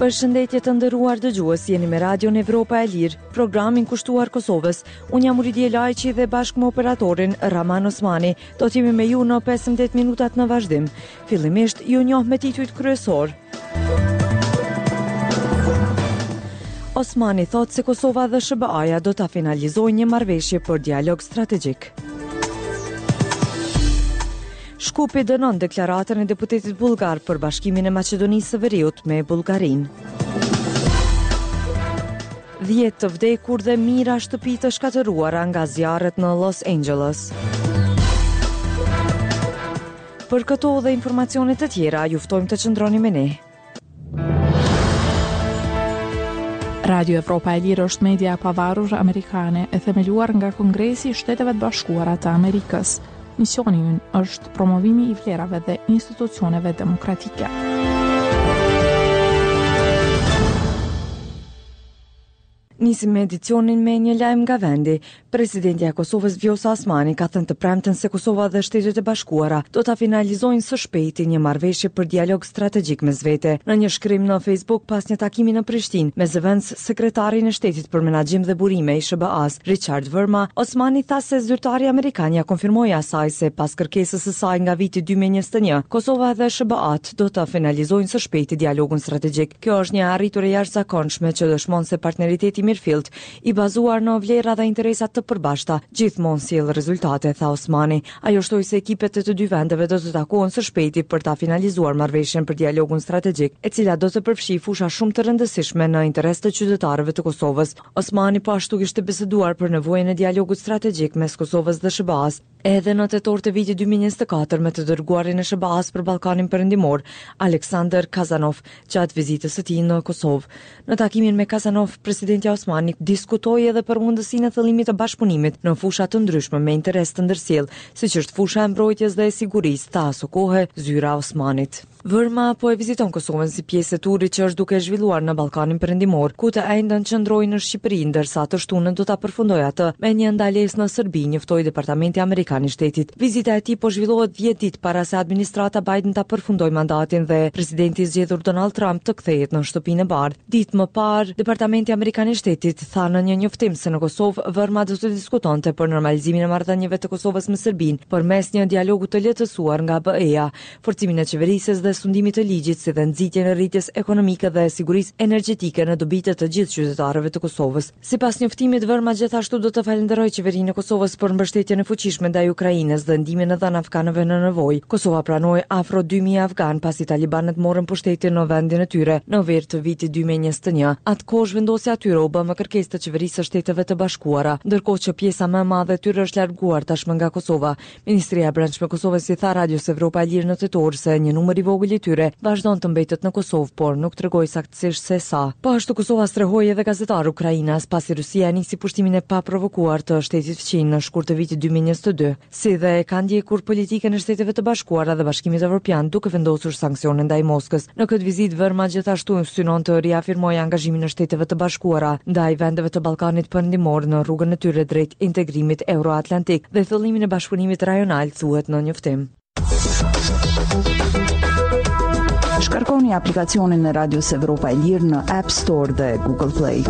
Përshëndetje të nderuar dëgjues, jeni me Radion Evropa e Lirë, programin kushtuar Kosovës. Unë jam Uridije Lajçi dhe bashkë me operatorin Rrahman Osmani, do të jemi me ju në 15 minutat në vazhdim. Fillimisht, ju njoh me titujt kryesorë. Osmani thotë se Kosova dhe SHBA-ja do ta finalizojnë një marrëveshje për dialog strategjik. Shkupi dënon deklaratën e deputetit bullgar për bashkimin e Maqedonisë së Veriut me Bullgarinë. 10 të vdekur dhe mijëra shtëpi të shkatërruara nga zjarret në Los Angeles. Për këto dhe informacione të tjera, ju ftojmë të qëndroni me ne. Radio Evropa e Lirë është media e pavarur amerikane e themeluar nga Kongresi i Shteteve të Bashkuara të Amerikës. Misioni ynë është promovimi i vlerave dhe institucioneve demokratike. Nisim edicionin me një lajm nga vendi. Presidentja e Kosovës Vjosa Osmani ka thënë të premten se Kosova dhe Shtetet e Bashkuara do ta finalizojnë së shpejti një marrëveshje për dialog strategjik mes vete. Në një shkrim në Facebook pas një takimi në Prishtinë me zëvendës sekretarin e Shtetit për Menaxhim dhe Burime i SHBA-së, Richard Verma, Osmani tha se zyrtari amerikan ia konfirmoi asaj se pas kërkesës së saj nga viti 2021, Kosova dhe SHBA-të do të finalizojnë së shpejti dialogun strategjik. Kjo është një e arritur e jashtëzakonshme që dëshmon se partneriteti i mirëfilltë, i bazuar në vlera dhe interesa të përbashkëta, gjithmonë sjell rezultate, tha Osmani. Ajo shtoi se ekipet e të dy vendeve do të takohen së shpejti për ta finalizuar marrëveshjen për dialogun strategjik, e cila do të përfshijë fusha shumë të rëndësishme në interes të qytetarëve të Kosovës. Osmani po ashtu kishte biseduar për nevojën e dialogut strategjik mes Kosovës dhe SHBA-së, Edhe në tetor të vitit 2024 me të dërguarin e SHBA-së për Ballkanin Perëndimor, Alexander Kazanov, gjatë vizitës së tij në Kosovë. Në takimin me Kazanov, presidentja Osmani diskutoi edhe për mundësinë e thellimit të bashkëpunimit në fusha të ndryshme me interes të ndërsjellë, siç është fusha e mbrojtjes dhe e sigurisë, tha asokohe zyra e Osmanit. Vërma po e viziton Kosovën si pjesë e turit që është duke zhvilluar në Ballkanin Perëndimor, ku të enjten qëndroi në Shqipëri, ndërsa të shtunën do ta përfundojë atë me një ndalesë në Serbi, njoftoi Departamenti Amerikan i Shtetit. Vizita e tij po zhvillohet 10 ditë para se administrata Biden ta përfundojë mandatin dhe presidenti i zgjedhur Donald Trump të kthehet në Shtëpinë e Bardhë. Ditë më parë, Departamenti Amerikan i Shtetit tha në një njoftim se në Kosovë Vërma do të diskutonte për normalizimin e marrëdhënieve të Kosovës me Serbinë përmes një dialogu të lehtësuar nga BE-ja. forcimin e qeverisjes dhe sundimit të ligjit si dhe nxitjen e rritjes ekonomike dhe sigurisë energjetike në dobi të të gjithë qytetarëve të Kosovës. Sipas njoftimit, Vërma gjithashtu do të falënderojë Qeverinë e Kosovës për mbështetjen e fuqishme ndaj Ukrainës dhe ndihmën e dhënë afganëve në nevojë. Kosova pranoi afro 2000 afganë pasi talibanët morën pushtetin në vendin e tyre në verë të vitit 2021. Atë kohë zhvendosja e tyre u bë me kërkesë të Qeverisë së Shteteve të Bashkuara, ndërkohë që pjesa më e madhe e tyre është larguar tashmë nga Kosova. Ministria e Brendshme e Kosovës i tha Radios Evropa e Lirë në tetor se një numër i vogël i tyre vazhdon të mbetet në Kosovë, por nuk tregoi saktësisht se sa. Po ashtu Kosova strehoi edhe gazetarë ukrainas pasi Rusia nisi pushtimin e paprovokuar të shtetit fqinj në shkurt të vitit 2022, si dhe ka ndjekur politikën e Shteteve të Bashkuara dhe Bashkimit Evropian duke vendosur sanksione ndaj Moskës. Në këtë vizitë Vërma gjithashtu synon të riafirmojë angazhimin e Shteteve të Bashkuara ndaj vendeve të Ballkanit Perëndimor në rrugën e tyre drejt integrimit euroatlantik dhe thellimin e bashkëpunimit rajonal, thuhet në njoftim. Shkarkoni aplikacionin e Radios Evropa e Lirë në App Store dhe Google Play.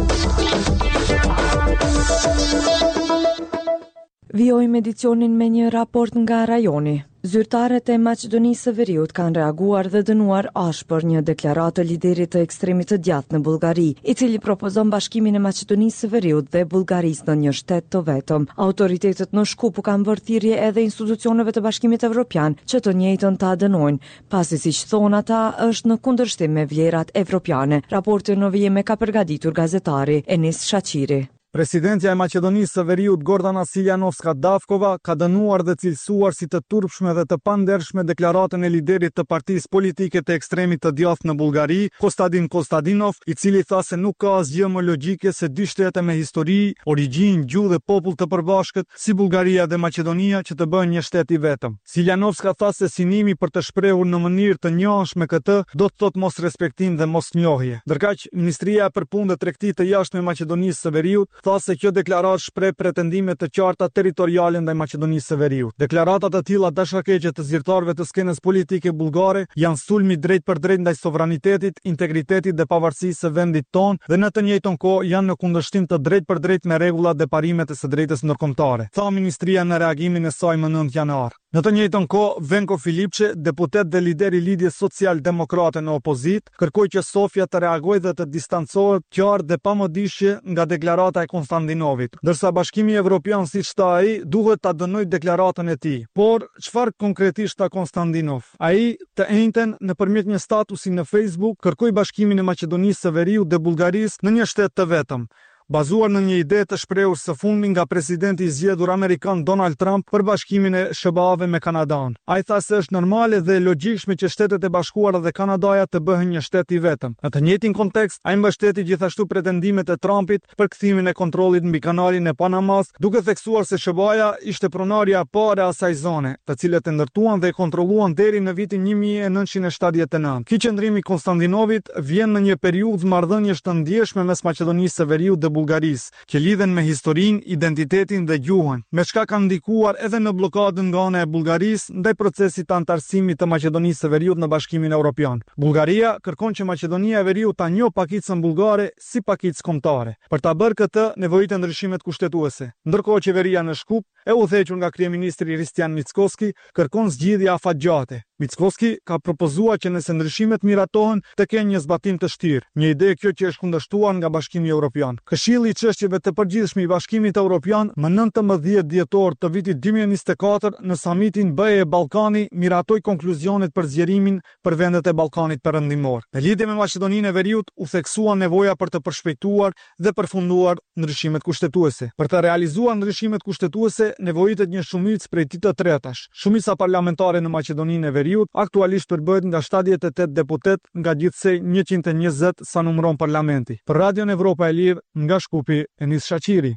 Vijojmë edicionin me një raport nga rajoni. Zyrtarët e Maqedonisë së Veriut kanë reaguar dhe dënuar ashpër një deklaratë të liderit të ekstremit të djathtë në Bullgari, i cili propozon bashkimin e Maqedonisë së Veriut dhe Bullgarisë në një shtet të vetëm. Autoritetet në Shkup u kanë bërë thirrje edhe institucioneve të Bashkimit Evropian që të njëjtën ta dënojnë, pasi siç thonë ata është në kundërshtim me vlerat evropiane. Raportin në vijim e ka përgatitur gazetari Enis Shaqiri. Presidentja e Maqedonisë së Veriut Gordana Siljanovska Davkova ka dënuar dhe cilësuar si të turpshme dhe të pandershme deklaratën e liderit të partisë politike të ekstremit të djathtë në Bullgari, Kostadin Kostadinov, i cili tha se nuk ka asgjë më logjike se dy shtete me histori, origjinë, gjuhë dhe popull të përbashkët, si Bullgaria dhe Maqedonia që të bëhen një shtet i vetëm. Siljanovska tha se synimi për të shprehur në mënyrë të njëanshme këtë do të thotë mosrespektim dhe mosnjohje. Ndërkaq, Ministria për Punë dhe Tregti të Jashtme e Maqedonisë së Veriut. tha se kjo deklaratë shpreh pretendime të qarta territoriale ndaj Maqedonisë së Veriut. Deklarata të tilla dashakeqe të zyrtarëve të skenës politike bullgare janë sulm i drejtpërdrejtë ndaj sovranitetit, integritetit dhe pavarësisë së vendit tonë dhe në të njëjtën kohë janë në kundërshtim të drejtpërdrejtë me rregullat dhe parimet e së drejtës ndërkombëtare, tha ministria në reagimin e saj më 9 janar. Në të njëjtën kohë, Venko Filipçe, deputet dhe lider i Lidhjes Social-Demokrate në opozitë, kërkoi që Sofja të reagojë dhe të distancohet qartë dhe pa mëdyshje nga deklarata e Konstandinovit, ndërsa Bashkimi Evropian, siç tha ai, duhet ta dënojë deklaratën e tij. Por, çfarë konkretisht tha Konstandinov? Ai, të enjten, nëpërmjet një statusi në Facebook, kërkoi bashkimin e Maqedonisë së Veriut dhe Bullgarisë në një shtet të vetëm, bazuar në një ide të shprehur së fundmi nga presidenti i zgjedhur amerikan Donald Trump për bashkimin e SHBA-ve me Kanadanë. Ai tha se është normale dhe e logjikshme që Shtetet e Bashkuara dhe Kanadaja të bëhen një shtet i vetëm. Në të njëjtin kontekst, ai mbështeti gjithashtu pretendimet e Trumpit për kthimin e kontrollit mbi Kanalin e Panamasë, duke theksuar se SHBA-ja ishte pronarja e parë e asaj zone, të cilët e ndërtuan dhe e kontrolluan deri në vitin 1979. Ky qëndrim i Konstandinovit vjen në një periudhë marrëdhëniesh të ndjeshme mes Maqedonisë së Veriut dhe Bullgarisë, që lidhen me historinë, identitetin dhe gjuhën, me çka kanë ndikuar edhe në bllokadën nga ana e Bullgarisë ndaj procesit të anëtarësimit të Maqedonisë së Veriut në Bashkimin Evropian. Bullgaria kërkon që Maqedonia e Veriut ta njohë pakicën bullgare si pakicë kombëtare. Për ta bërë këtë, nevojiten ndryshimet kushtetuese. Ndërkohë qeveria në Shkup, e udhëhequr nga kryeministri Hristijan Mickoski, kërkon zgjidhje afatgjate. Mickoski ka propozuar që nëse ndryshimet miratohen, të kenë një zbatim të shtyrë, një ide kjo që është kundërshtuar nga Bashkimi Evropian. Këshilli i Çështjeve të Përgjithshme i Bashkimit Evropian më 19 dhjetor të vitit 2024 në samitin BE-Ballkani miratoi konkluzionet për zgjerimin për vendet e Ballkanit Perëndimor. Në lidhje me Maqedoninë e Veriut u theksua nevoja për të përshpejtuar dhe përfunduar ndryshimet kushtetuese. Për të realizuar ndryshimet kushtetuese nevojitet një shumicë prej dy të tretash. Shumica parlamentare në Maqedoninë e Veriut aktualisht përbëhet nga 78 deputetë nga gjithsej 120 sa numëron parlamenti. Për Radion Evropa e Lirë, nga Shkupi, Enis Shaqiri.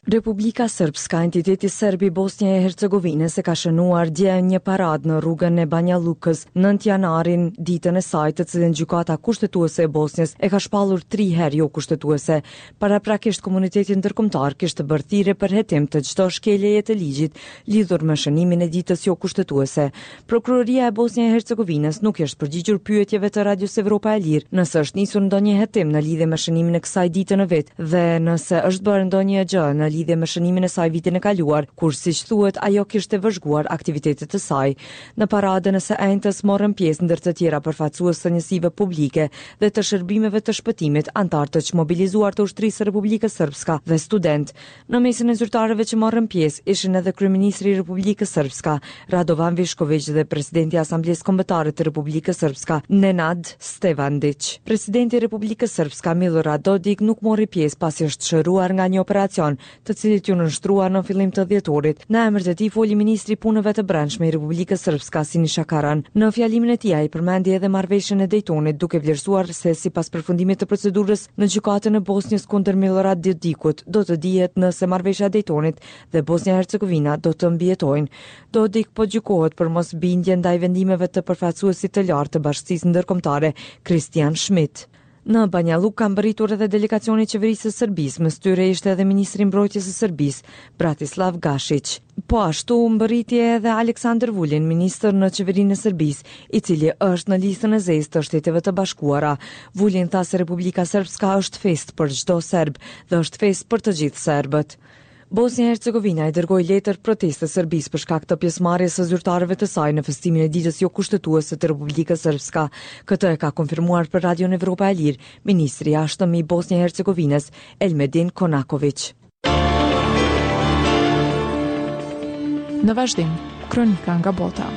Republika Srpska, entiteti serb i Bosnje e Hercegovinës e ka shënuar dje një paradë në rrugën e Banja Llukës, 9 janarin, ditën e saj, të cilën Gjykata Kushtetuese e Bosnjës e ka shpallur tri herë jo kushtetuese. Paraprakisht komuniteti ndërkombëtar kishte bërë thirrje për hetim të çdo shkeljeje të ligjit lidhur me shënimin e ditës jo kushtetuese. Prokuroria e Bosnje e Hercegovinës nuk i është përgjigjur pyetjeve të Radios Evropa e Lirë nëse është nisur ndonjë hetim në lidhje me shënimin e kësaj dite në vit dhe nëse është bërë ndonjë gjë në lidhje me shënimin e saj vitin e kaluar, kur siç thuhet ajo kishte vëzhguar aktivitetet e saj. Në paradën e së enjtes morën pjesë ndër të tjera përfaqësues të njësive publike dhe të shërbimeve të shpëtimit, anëtarë të çmobilizuar të Ushtrisë së Republikës Srpska dhe studentë. Në mesin e zyrtarëve që morën pjesë ishin edhe kryeministri i Republikës Srpska, Radovan Višković dhe presidenti i Asamblesë Kombëtare të Republikës Srpska, Nenad Stevandić. Presidenti i Republikës Srpska, Milorad Dodik nuk mori pjesë pasi është shëruar nga një operacion, të cilit iu nënshtrua në fillim të dhjetorit. Në emër të tij foli ministri i Punëve të Brendshme i Republikës Srpska, Sinisha Karan. Në fjalimin e tij ai përmendi edhe marrëveshjen e Dejtonit, duke vlerësuar se sipas përfundimit të procedurës Në gjykatën e Bosnjës kundër Milorad Dodikut do të dihet nëse marrëveshja e Dejtonit dhe Bosnja e Hercegovina do të mbijetojnë. Dodik po gjykohet për mosbindje ndaj vendimeve të përfaqësuesit të lartë të bashkësisë ndërkombëtare, Christian Schmidt. Në Banja Llukë ka mbërritur edhe delegacioni i qeverisë së Serbisë, mes tyre ishte edhe ministri i Mbrojtjes së Serbisë, Bratislav Gashiq. Po ashtu mbërriti edhe Aleksandar Vulin, ministër në qeverinë e Serbisë, i cili është në listën e zezë të Shteteve të Bashkuara. Vulin tha se Republika Srpska është festë për çdo serb dhe është festë për të gjithë serbët. Bosnja e Hercegovina i dërgoi letër proteste Serbisë për shkak të pjesëmarrjes së zyrtarëve të saj në festimin e ditës jokushtetuese të Republikës Srpska. Këtë e ka konfirmuar për Radion Evropa e Lirë, ministri i Jashtëm i Bosnjë e Hercegovinës, Elmedin Konakoviq. Në vazhdim, kronika nga bota.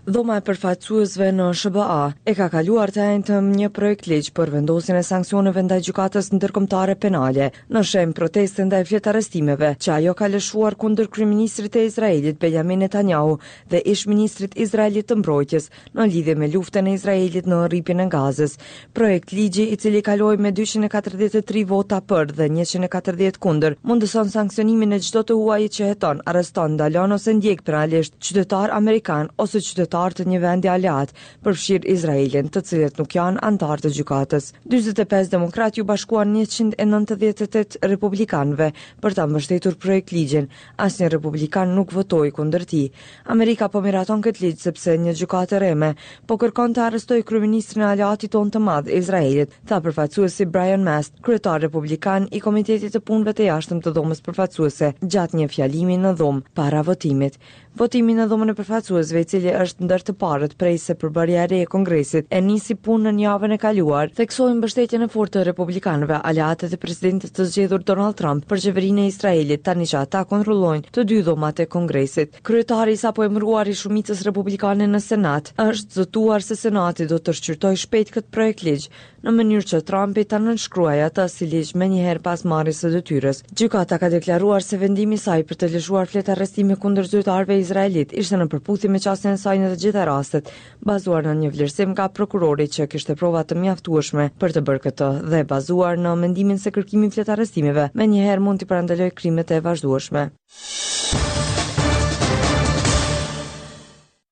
Dhoma e Përfaqësuesve në SHBA e ka kaluar të enjten një projektligj për vendosjen e sanksioneve ndaj Gjykatës Ndërkombëtare Penale në shenjë proteste ndaj fletarrestimeve që ajo ka lëshuar kundër kryeministrit të Izraelit Benjamin Netanyahu dhe ish-ministrit izraelit të Mbrojtjes në lidhje me luftën e Izraelit në Rripin e Gazës. Projektligji, i cili kaloi me 243 vota për dhe 140 kundër, mundëson sanksionimin e çdo të huaji që heton, arreston, ndalon ose ndjek penalisht qytetarë amerikanë ose qytetarë të një vendi aleat, përfshirë Izraelin, të cilët nuk janë anëtarë të gjykatës. 45 demokratë iu bashkuan 198 republikanëve për ta mbështetur projektligjin. Asnjë republikan nuk votoi kundër tij. Amerika po miraton këtë ligj sepse një gjykatë e rreme po kërkon të arrestojë kryeministrin e aleatit tonë të madh, Izraelit, tha përfaqësuesi Brian Mast, kryetar republikan i Komitetit të Punëve të Jashtëm të Dhomës Përfaqësuese, gjatë një fjalimi në dhomë para votimit. Votimi në Dhomën e Përfaqësuesve, i cili është ndër të parët prej se përbërja e re e Kongresit e nisi punën javën e kaluar, theksoi mbështetjen e fortë të republikanëve, aleatët e presidentit të zgjedhur Donald Trump për qeverinë e Izraelit, tani që ata kontrollojnë të dy dhomat e Kongresit. Kryetari i sapoemëruar i shumicës republikane në Senat është zotuar se Senati do të shqyrtojë shpejt këtë projektligj, në mënyrë që Trumpi ta nënshkruajë atë si ligj menjëherë pas marrjes së detyrës. Gjykata ka deklaruar se vendimi i saj për të lëshuar fletarrestime kundër zyrtarëve izraelitë ishte në përputhje me qasjen e saj në të gjitha rastet, bazuar në një vlerësim nga prokurori që kishte prova të mjaftueshme për të bërë këtë dhe bazuar në mendimin se kërkimi i fletarrestimeve menjëherë mund t'i parandalojë krimet e vazhdueshme.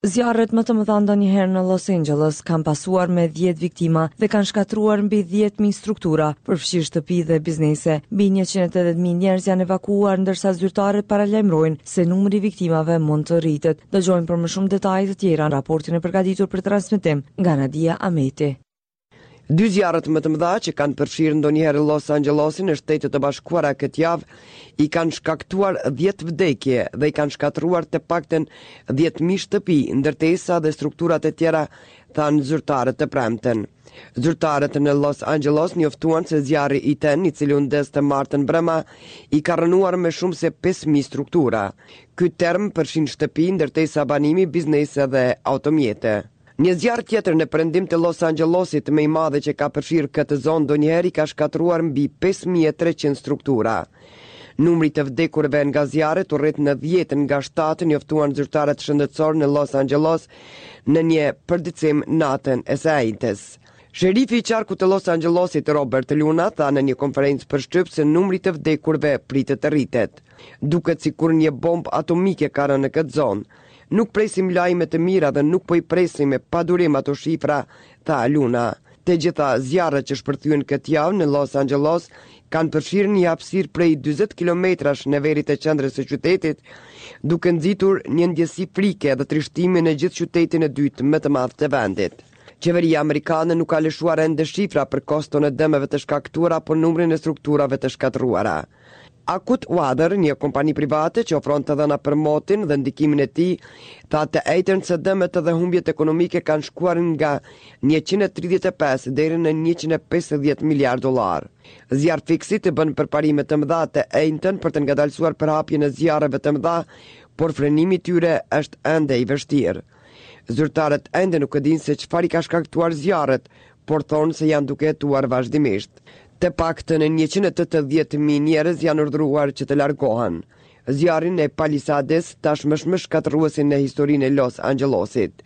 Zjarret më të mëdha ndonjëherë në Los Angeles kanë pasuar me 10 viktima dhe kanë shkatërruar mbi 10.000 struktura, përfshirë shtëpi dhe biznese. Mbi 180.000 njerëz janë evakuuar ndërsa zyrtarët paralajmërojnë se numri i viktimave mund të rritet. Dëgjojmë për më shumë detaje të tjera në raportin e përgatitur për transmetim nga Nadia Ameti. Dy zjarret më të mëdha që kanë përfshirë ndonjëherë Los Angelosin në Shtetet e Bashkuara këtë javë i kanë shkaktuar 10 vdekje dhe i kanë shkatërruar të paktën 10.000 shtëpi, ndërtesa dhe struktura të tjera, thanë zyrtarët të premten. Zyrtarët në Los Angeles njoftuan se zjarri Ethan, i cili u ndez të martën mbrëma, i ka rrënuar më shumë se 5.000 struktura. Ky term përfshin shtëpi, ndërtesa banimi, biznese dhe automjete. Një zjarr tjetër në perëndim të Los Angelosit, më i madhi që ka përfshirë këtë zonë ndonjëherë i ka shkatërruar mbi 5300 struktura. Numri i të vdekurve nga zjarret u rrit në 10 nga 7, njoftuan zyrtarët shëndetësorë në Los Angeles në një përditësim natën e së enjtes. Sherifi i qarkut të Los Angelosit, Robert Luna, tha në një konferencë për shtyp se numri i të vdekurve pritet të rritet. Duket sikur një bombë atomike ka rënë në këtë zonë. Nuk presim lajme të mira dhe nuk po i presim me padurim ato shifra, tha Luna. Të gjitha zjarret që shpërthyen këtë javë në Los Angeles kanë përfshirë një hapësirë prej 40 kilometrash në veri të qendrës së qytetit, duke nxitur një ndjesi frike dhe trishtimi në gjithë qytetin e dytë më të madh të vendit. Qeveria amerikane nuk ka lëshuar ende shifra për koston e dëmeve të shkaktuara apo numrin e strukturave të shkatërruara. AccuWeather, një kompani private që ofron të dhëna për motin dhe ndikimin e tij, tha të enjten se dëmet dhe humbjet ekonomike kanë shkuar nga 135 deri në 150 miliardë dollarë. Zjarrfikësit bënë përparime të mëdha të enjten për të ngadalësuar përhapjen e zjarreve të mëdha, por frenimi i tyre është ende i vështirë. Zyrtarët ende nuk e dinë se çfarë i ka shkaktuar zjarret, por thonë se janë duke hetuar vazhdimisht. Të paktën 180.000 njerëz janë urdhëruar që të largohen. Zjarri në Palisades tashmë është më shkatërruesi në historinë e Los Angelosit.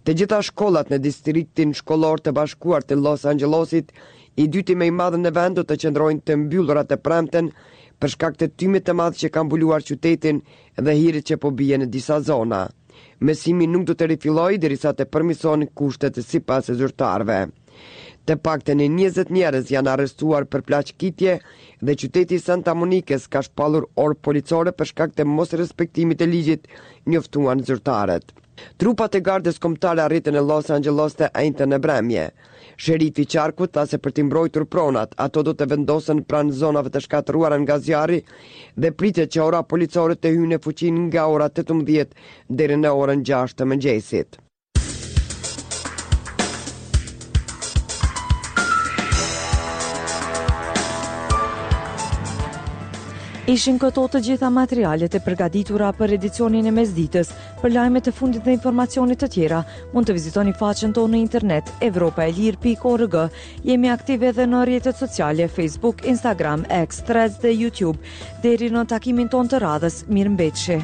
Të gjitha shkollat në distriktin shkollor të bashkuar të Los Angelosit, i dyti më i madh në vend do të qëndrojnë të mbyllura të premten për shkak të tymit të madh që ka mbuluar qytetin dhe hirit që po bie në disa zona. Mësimi nuk do të rifillojë derisa të përmirësohen kushtet sipas zyrtarëve. Të paktën 20 njerëz janë arrestuar për plaçkitje dhe qyteti i Santa Monikës ka shpallur orë policore për shkak të mosrespektimit të ligjit, njoftuan zyrtarët. Trupat e Gardës Kombëtare arritën në Los Angeles të enjten në mbrëmje. Sherifi i qarkut tha se për t'i mbrojtur pronat, ato do të vendosen pranë zonave të shkatërruara nga zjarri dhe pritet që ora policore të hyjë në fuqi nga ora 18 deri në orën 6 të mëngjesit. Ishin këto të gjitha materialet e përgatitura për edicionin e mesditës. Për lajmet e fundit dhe informacione të tjera, mund të vizitoni faqen tonë në internet evropaelire.org. Jemi aktive edhe në rrjetet sociale Facebook, Instagram, X, Threads dhe YouTube. Deri në takimin tonë të radhës, mirëmbetshi.